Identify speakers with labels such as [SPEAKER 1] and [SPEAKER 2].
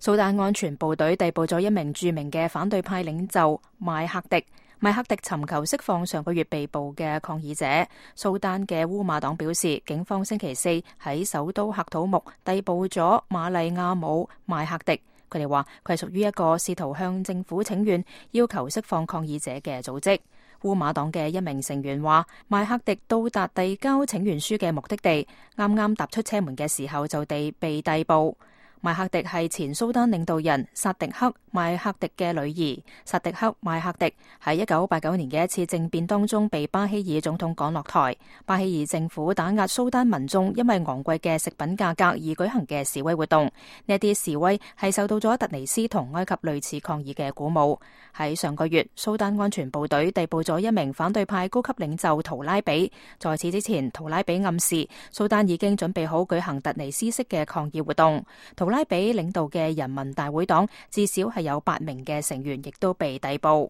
[SPEAKER 1] 蘇丹安全部隊逮捕咗一名著名嘅反對派領袖邁克迪。邁克迪尋求釋放上個月被捕嘅抗議者。蘇丹嘅烏馬黨表示，警方星期四喺首都喀土穆逮捕咗馬利亞姆邁克迪。佢哋話佢係屬於一個試圖向政府請願，要求釋放抗議者嘅組織。烏馬黨嘅一名成員話，邁克迪到達遞交請願書嘅目的地，啱啱踏出車門嘅時候就被逮捕。邁克迪係前蘇丹領導人薩迪克邁克迪嘅女兒。薩迪克邁克迪喺1989年嘅一次政變當中被巴希爾總統趕落台。巴希爾政府打壓蘇丹民眾因為昂貴嘅食品價格而舉行嘅示威活動，呢啲示威係受到咗突尼斯同埃及類似抗議嘅鼓舞。喺上個月，蘇丹安全部隊逮捕咗一名反對派高級領袖圖拉比。在此之前，圖拉比暗示蘇丹已經準備好舉行突尼斯式嘅抗議活動。圖拉比領導嘅人民大會黨至少係有8名嘅成員亦都被逮捕。